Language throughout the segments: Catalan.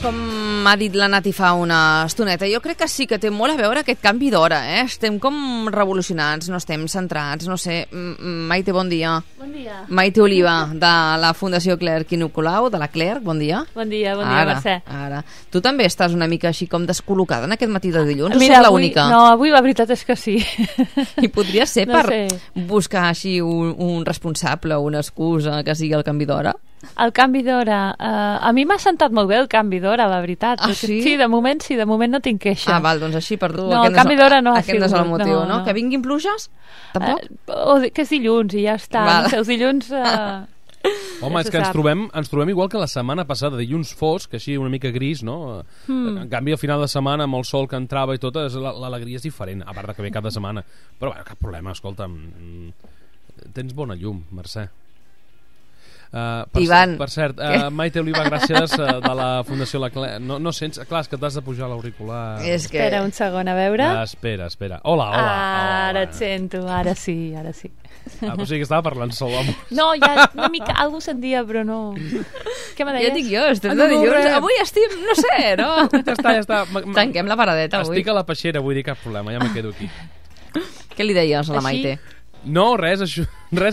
Com ha dit la Nati fa una estoneta, jo crec que sí que té molt a veure aquest canvi d'hora, Estem com revolucionats, no estem centrats, no sé. Maite, bon dia. Bon dia. Maite Oliva, de la Fundació Clerc i Nicolau, de la Clerc, bon dia. Bon dia, Mercè. Ara. Tu també estàs una mica així com descol·locada en aquest matí de dilluns, Mira, o soc l'única? No, avui la veritat és que sí. I podria ser No per sé. buscar així un responsable o una excusa que sigui el canvi d'hora? El canvi d'hora, a mi m'ha sentat molt bé el canvi d'hora, la veritat. Ah, sí? Sí, de moment no tinc queixa. Ah, val, doncs així per tu. No, el canvi d'hora no ha Aquest no és el sigut, motiu, no. Que vinguin pluges? Tampoc? Que és dilluns i ja està. Val. No sé, els dilluns... Home, ja és se que ens sap. trobem igual que la setmana passada, dilluns fosc, així una mica gris, no? En canvi, al final de setmana, amb el sol que entrava i tot, l'alegria és diferent, a part de que ve cada setmana. Però, bueno, cap problema, escolta'm, tens bona llum, Mercè. Ivan. Per cert, Maite Oliva, gràcies, de la Fundació La Clerc. No sents... Clar, és que t'has de pujar l'auricular. És que... Espera un segon, a veure. Espera. Hola. Ara et sento, ara sí. O sigui que estava parlant sol, home. No, ja una mica, algú sentia, però no... Què me deies? Ja dic jo, estem de dilluns. Avui estic, no sé, no? Ja està. Tanquem la paradeta avui. Estic a la peixera, vull dir, cap problema, ja me quedo aquí. Què li deies a la Així? Maite? No, res,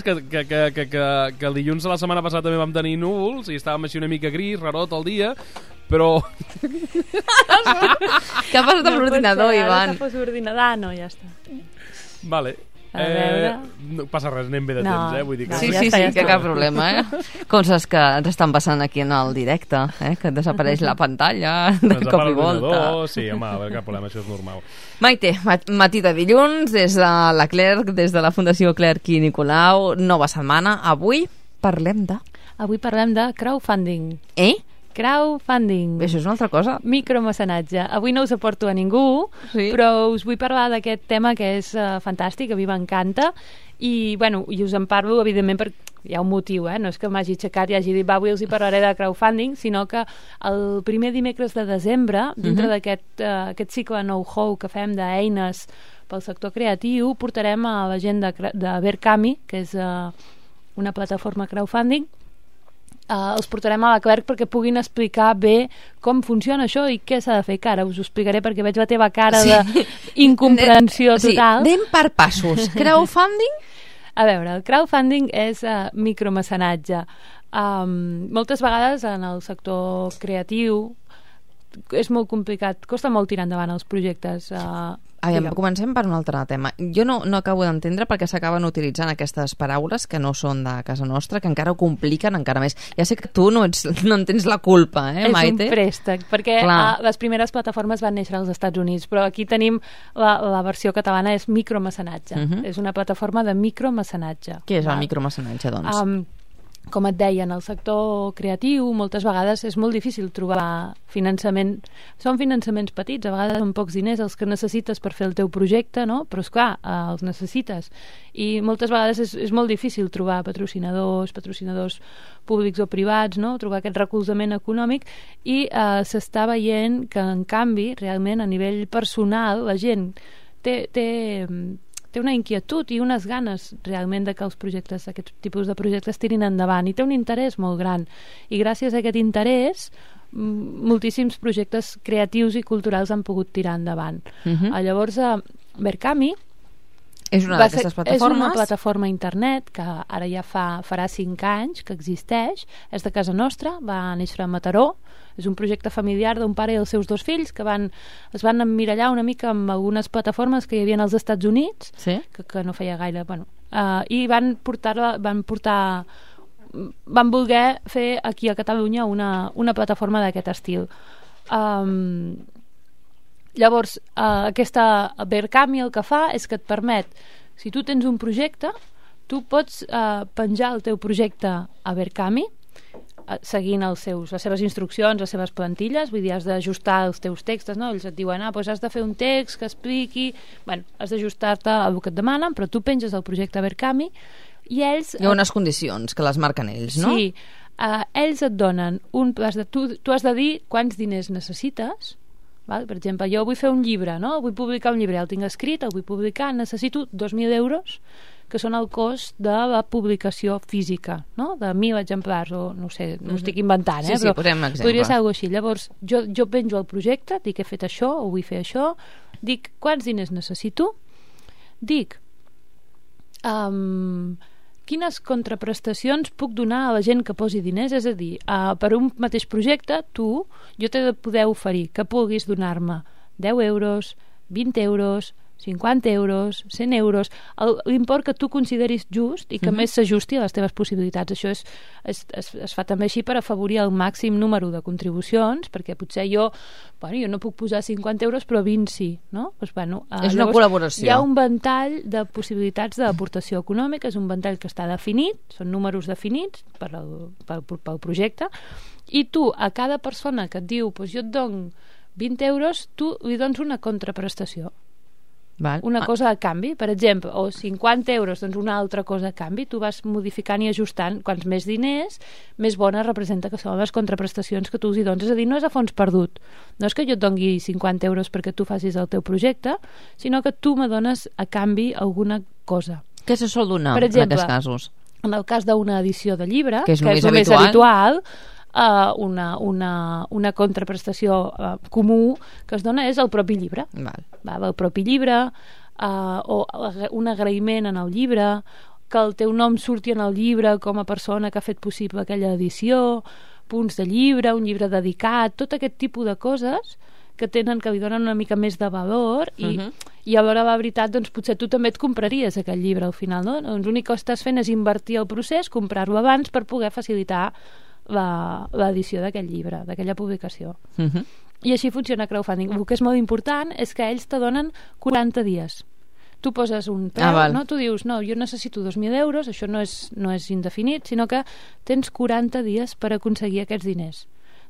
que el dilluns de la setmana passada també vam tenir núvols i estàvem així una mica gris, rarot el dia, però... Què ha passat amb l'ordinador, Ivan? Ara que fos ordinador, no, ja està. Vale. A veure... No passa res, anem bé de No. temps, vull dir que... No, Sí, ja sí, està, ja que està. cap problema, Coses que ens estan passant aquí en el directe, que desapareix la pantalla de Ens cop apaga i volta. l'ordinador, sí, home, a veure, cap problema, això és normal. Maite, matí de dilluns, des de la Clerc, des de la Fundació Clerc i Nicolau, nova setmana. Avui parlem de... Avui parlem de crowdfunding. Crowdfunding. Això és una altra cosa. Micromecenatge. Avui no us aporto a ningú, Sí. però us vull parlar d'aquest tema que és fantàstic, a mi m'encanta, i, bueno, i us en parlo, evidentment, perquè hi ha un motiu, no és que m'hagi aixecat i hagi dit, va, avui els hi parlaré de crowdfunding, sinó que el primer dimecres de desembre, dintre d'aquest aquest cicle know-how que fem d'eines pel sector creatiu, portarem a la gent de Verkami, que és una plataforma crowdfunding. Els portarem a la Clerc perquè puguin explicar bé com funciona això i què s'ha de fer. Que ara us ho explicaré perquè veig la teva cara d'incomprensió total. Sí, anem per passos. Crowdfunding? A veure, el crowdfunding és micromecenatge. Moltes vegades en el sector creatiu és molt complicat, costa molt tirar endavant els projectes. Comencem per un altre tema. Jo no acabo d'entendre perquè s'acaben utilitzant aquestes paraules que no són de casa nostra, que encara ho compliquen encara més. Ja sé que tu no en tens la culpa, Maite? És un préstec, perquè les primeres plataformes van néixer als Estats Units, però aquí tenim la versió catalana, és micromecenatge. És una plataforma de micromecenatge. Què és el micromecenatge, doncs? Com et deia, en el sector creatiu moltes vegades és molt difícil trobar finançament. Són finançaments petits, a vegades són pocs diners els que necessites per fer el teu projecte, no? Però esclar, els necessites. I moltes vegades és molt difícil trobar patrocinadors públics o privats, no? Trobar aquest recolzament econòmic, i s'està veient que, en canvi, realment a nivell personal, la gent té una inquietud i unes ganes realment de que els projectes, aquests tipus de projectes tirin endavant, i té un interès molt gran, i gràcies a aquest interès moltíssims projectes creatius i culturals han pogut tirar endavant. Llavors Verkami és una d'aquestes plataformes? És una plataforma internet que ara ja farà 5 anys que existeix, és de casa nostra, va néixer a Mataró, és un projecte familiar d'un pare i els seus 2 fills que es van emmirallar una mica amb algunes plataformes que hi havia als Estats Units, que no feia gaire, i van voler fer aquí a Catalunya una plataforma d'aquest estil. Llavors, aquesta Verkami el que fa és que et permet, si tu tens un projecte, tu pots penjar el teu projecte a Verkami seguint les seves instruccions, les seves plantilles, vull dir, has d'ajustar els teus textos, no? Ells et diuen, doncs has de fer un text que expliqui, has d'ajustar-te al que et demanen, però tu penges el projecte a Verkami i ells... Hi ha unes condicions que les marquen ells, no? Sí, ells et donen tu has de dir quants diners necessites. Val? Per exemple, jo vull fer un llibre, no? Vull publicar un llibre, el tinc escrit, el vull publicar, necessito 2.000 euros. que són el cost de la publicació física, no? De 1.000 exemplars, o no sé, no ho estic inventant, Sí, però posem exemple. podria ser alguna cosa així. Llavors, jo penjo el projecte, dic he fet això, o vull fer això, dic quants diners necessito, dic quines contraprestacions puc donar a la gent que posi diners, és a dir, per un mateix projecte, jo t'he de poder oferir que puguis donar-me 10 euros, 20 euros, 50 euros, 100 euros, l'import que tu consideris just i que més s'ajusti a les teves possibilitats. Això es fa també així per afavorir el màxim número de contribucions, perquè potser jo no puc posar 50 euros, però 20 sí, no? Doncs, és una col·laboració. Hi ha un ventall de possibilitats d'aportació econòmica, és un ventall que està definit, són números definits pel projecte, i tu, a cada persona que et diu jo et dono 20 euros, tu li dones una contraprestació. Una cosa a canvi, per exemple, o 50 euros, doncs una altra cosa a canvi. Tu vas modificant i ajustant. Quants més diners, més bona representa que són les contraprestacions que tu els hi dones. És a dir, no és a fons perdut. No és que jo et doni 50 euros perquè tu facis el teu projecte, sinó que tu me dones a canvi alguna cosa. Què se sol donar, per exemple, en aquests casos? En el cas d'una edició de llibre, que és el més habitual, una contraprestació comú que es dona és el propi llibre. El propi llibre, o un agraïment en el llibre, que el teu nom surti en el llibre com a persona que ha fet possible aquella edició, punts de llibre, un llibre dedicat, tot aquest tipus de coses que li donen una mica més de valor i a l'hora de la veritat doncs potser tu també et compraries aquell llibre al final, no? Doncs l'únic que estàs fent és invertir el procés, comprar-lo abans per poder facilitar l'edició d'aquell llibre, d'aquella publicació. I així funciona crowdfunding. El que és molt important és que ells te donen 40 dies. Tu poses un preu, no? Tu dius, no, jo necessito 2.000 euros, això no és indefinit, sinó que tens 40 dies per aconseguir aquests diners.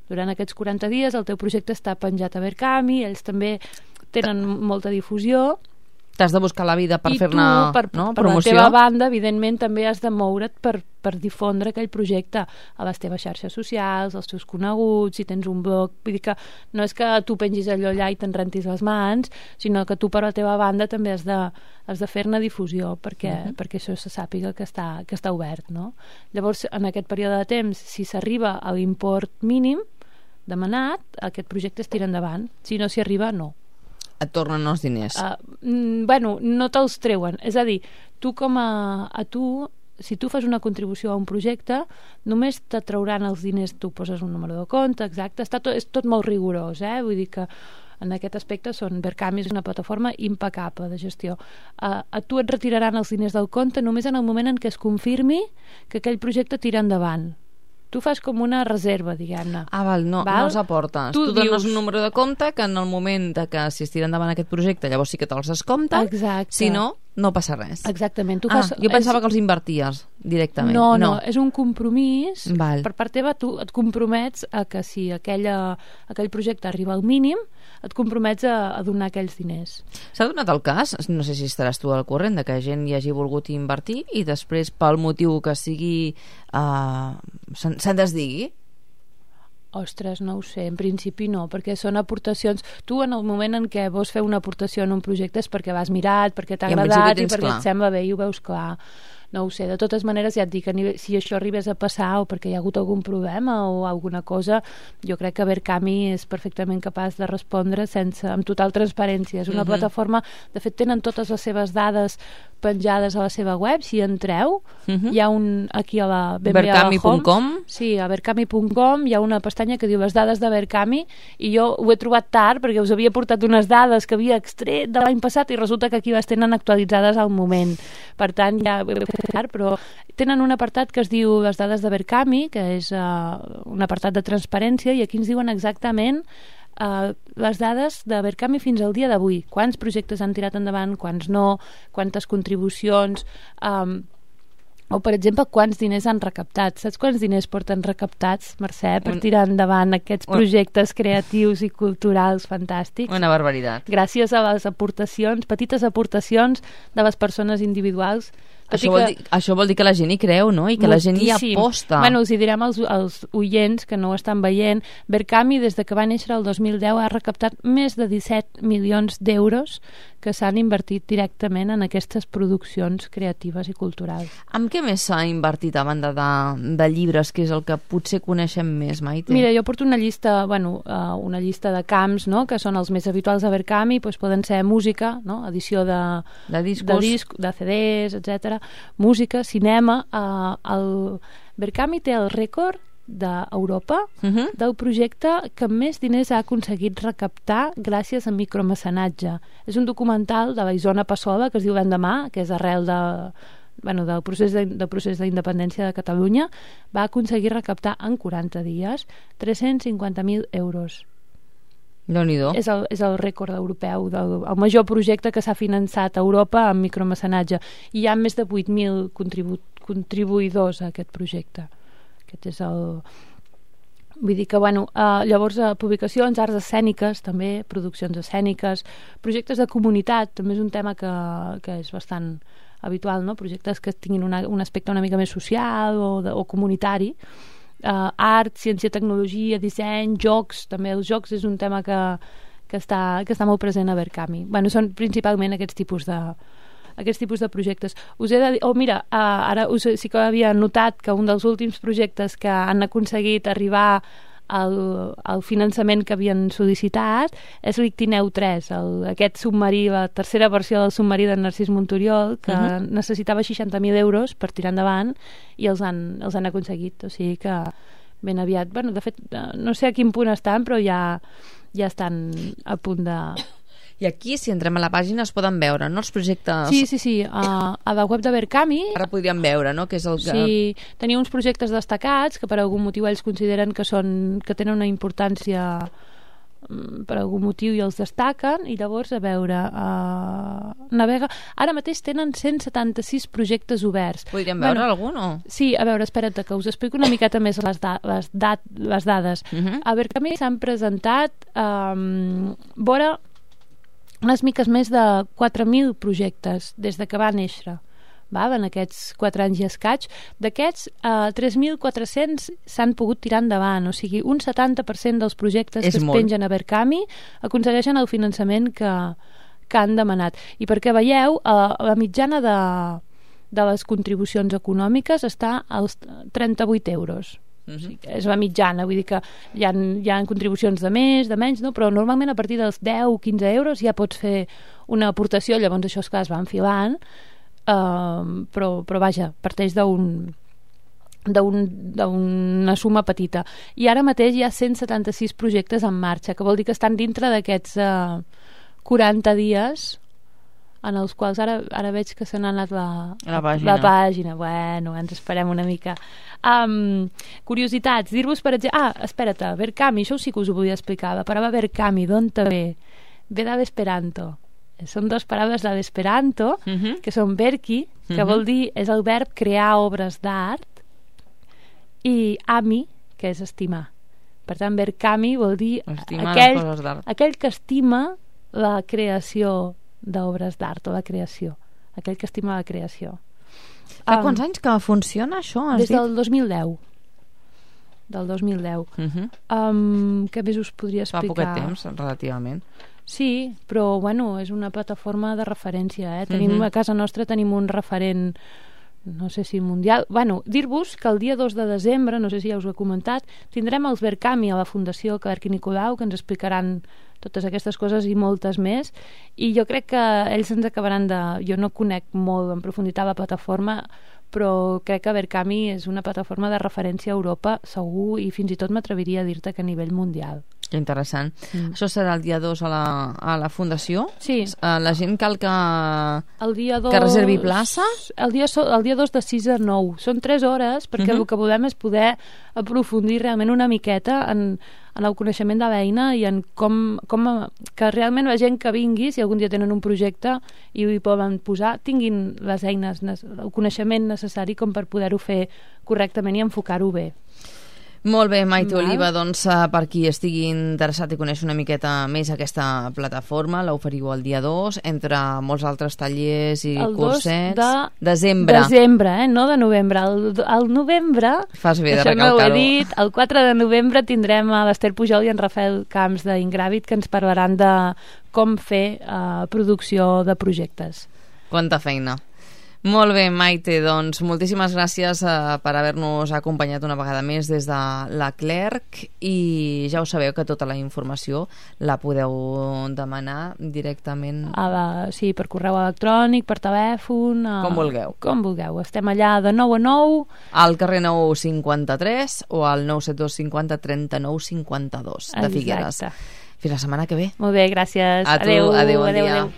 Durant aquests 40 dies el teu projecte està penjat a Verkami, ells també tenen molta difusió. T'has de buscar la vida per fer-ne promoció. Per la teva banda, evidentment, també has de moure't per difondre aquell projecte a les teves xarxes socials, als teus coneguts, si tens un blog. Vull dir que no és que tu pengis allò allà i te'n rentis les mans, sinó que tu per la teva banda també has de fer-ne difusió perquè això se sàpiga que està obert, no? Llavors, en aquest període de temps, si s'arriba a l'import mínim demanat, aquest projecte es tira endavant. Si no s'hi arriba, no. Et tornen els diners. No te'ls treuen. És a dir, si tu fas una contribució a un projecte, només te trauran els diners, tu poses un número de compte, exacte, és tot molt rigorós, vull dir que en aquest aspecte Verkami és una plataforma impecable de gestió. A tu et retiraran els diners del compte només en el moment en què es confirmi que aquell projecte tira endavant. Tu fas com una reserva, diguem-ne. No els aportes. Tu dones un número de compte que en el moment que si es tira endavant aquest projecte llavors sí que te'ls descompta. Exacte. Si no, no passa res. Exactament. Jo pensava que els inverties directament. No, és un compromís. Per part teva tu et compromets a que si aquell projecte arriba al mínim, et compromets a donar aquells diners. S'ha donat el cas, no sé si estaràs tu al corrent, de que gent hi hagi volgut invertir i després pel motiu que sigui se'n desdigui? Ostres, no ho sé, en principi no, perquè són aportacions. Tu en el moment en què vols fer una aportació en un projecte és perquè l'has mirat, perquè t'ha agradat i perquè et sembla bé i ho veus clar. No ho sé, de totes maneres ja et dic, si això arribés a passar o perquè hi ha hagut algun problema o alguna cosa, jo crec que Verkami és perfectament capaç de respondre amb total transparència. És una plataforma, de fet tenen totes les seves dades penjades a la seva web, si entreu hi ha aquí a la Verkami.com. Sí, a Verkami.com hi ha una pestanya que diu les dades de Verkami i jo ho he trobat tard perquè us havia portat unes dades que havia extret de l'any passat i resulta que aquí les tenen actualitzades al moment. Per tant, ja ho he fet tard, però tenen un apartat que es diu les dades de Verkami, que és un apartat de transparència, i aquí ens diuen exactament les dades de Verkami fins al dia d'avui. Quants projectes han tirat endavant, quants no, quantes contribucions, o per exemple quants diners han recaptat. Saps quants diners porten recaptats, Mercè, per tirar endavant aquests projectes creatius i culturals fantàstics? Una barbaritat. Gràcies a les aportacions, petites aportacions de les persones individuals, Això vol dir que la gent hi creu, no? I que la gent hi aposta. Bueno, us hi direm als oients que no ho estan veient. Verkami, des de que va néixer el 2010, ha recaptat més de 17 milions d'euros que s'han invertit directament en aquestes produccions creatives i culturals. Amb què més s'ha invertit a banda de llibres, que és el que potser coneixem més, Maite? Mira, jo porto una llista de camps, no?, que són els més habituals de Verkami, doncs poden ser música, no?, edició de disc, de CDs, etc. Música, cinema. El Verkami té el rècord d'Europa del projecte que més diners ha aconseguit recaptar gràcies a micromecenatge. És un documental de la Isona Passola que es diu L'endemà, que és arrel del procés d'independència de Catalunya. Va aconseguir recaptar en 40 dies 350.000 euros. Déu-n'hi-do. És el rècord europeu, el major projecte que s'ha finançat a Europa amb micromecenatge. I hi ha més de 8.000 contribuïdors a aquest projecte. Aquest és el... Vull dir que, llavors, publicacions, arts escèniques, també, produccions escèniques, projectes de comunitat, també és un tema que és bastant habitual, no? Projectes que tinguin un aspecte una mica més social o comunitari. Art, ciència, tecnologia, disseny, jocs, també els jocs és un tema que està molt present a Verkami. Són principalment aquests tipus de projectes. Us he de dir, mira, ara sí que havia notat que un dels últims projectes que han aconseguit arribar al finançament que havien sol·licitat és l'Ictineu 3, aquest submarí, la tercera versió del submarí de Narcís Monturiol, que necessitava 60.000 euros per tirar endavant i els han aconseguit. O sigui que ben aviat, de fet, no sé a quin punt estan, però ja estan a punt de... I aquí, si entrem a la pàgina, es poden veure, no?, els projectes... Sí. A la web de Verkami... Ara podríem veure, no?, que és el que... Sí, tenia uns projectes destacats que per algun motiu ells consideren que tenen una importància per algun motiu i els destaquen, i llavors, a veure, navega... Ara mateix tenen 176 projectes oberts. Podríem veure algun, o...? Sí, a veure, espera't, que us explico una miqueta més les dades. A Verkami s'han presentat vora unes miques més de 4.000 projectes des de que va néixer, en aquests 4 anys i escaig. D'aquests, 3.400 s'han pogut tirar endavant, o sigui, un 70% dels projectes que es pengen a Verkami aconsegueixen el finançament que han demanat. I perquè veieu, la mitjana de les contribucions econòmiques està als 38 euros. O sigui, és la mitjana, vull dir que hi ha contribucions de més, de menys, no? Però normalment a partir dels 10 o 15 euros ja pots fer una aportació, llavors això és clar, es va enfilant, però vaja, parteix d'una suma petita. I ara mateix hi ha 176 projectes en marxa, que vol dir que estan dintre d'aquests 40 dies en els quals ara veig que se n'ha anat la pàgina. Bueno, ens esperem una mica. Curiositats, dir-vos per exemple... espera't, Verkami, això sí que us ho volia explicar. La paraula Verkami, d'on te ve? Ve de l'esperanto. Són dues paraules de l'esperanto, que són verki, que vol dir, és el verb crear obres d'art, i ami, que és estimar. Per tant, Verkami vol dir aquell que estima la creació d'obres d'art o la creació, aquell que estima la creació. Fa quants anys que funciona això? Des del 2010. Del 2010. Què més us podria explicar? Fa poquet temps, relativament. Sí, però és una plataforma de referència. A casa nostra tenim un referent, no sé si mundial. Dir-vos que el dia 2 de desembre, no sé si ja us ho he comentat, tindrem els Verkami a la Fundació Clerc i Nicolau, que ens explicaran totes aquestes coses i moltes més, i jo crec que ells ens acabaran de... Jo no conec molt en profunditat la plataforma, però crec que Verkami és una plataforma de referència a Europa, segur, i fins i tot m'atreviria a dir-te que a nivell mundial. Que interessant. Això serà el dia 2 a la Fundació? Sí. La gent cal que que reservi places? El dia 2 de 6 a 9. Són 3 hores, perquè el que volem és poder aprofundir realment una miqueta en el coneixement de l'eina i en com que realment la gent que vingui, si algun dia tenen un projecte i ho hi poden posar, tinguin les eines, el coneixement necessari com per poder-ho fer correctament i enfocar-ho bé. Molt bé, Maite Val. Oliva, doncs per qui estigui interessat i conèixer una miqueta més aquesta plataforma, l'oferiu el dia 2, entre molts altres tallers i El 2 cursets. de Desembre. Desembre, no de novembre. El novembre, Fas bé de això no ho he recalcar-ho. dit, el 4 de novembre tindrem a l'Ester Pujol i en Rafael Camps d'Ingràvit que ens parlaran de com fer producció de projectes. Quanta feina. Molt bé, Maite, doncs moltíssimes gràcies per haver-nos acompanyat una vegada més des de la Clerc i ja ho sabeu que tota la informació la podeu demanar directament Sí, per correu electrònic, per telèfon... Com vulgueu. Com vulgueu. Estem allà de 9 a 9. al carrer 953 o al 972 50 39 52 de Figueres. Exacte. Fins la setmana que ve. Molt bé, gràcies. A tu, Adéu, adéu, bon adéu, dia. adéu.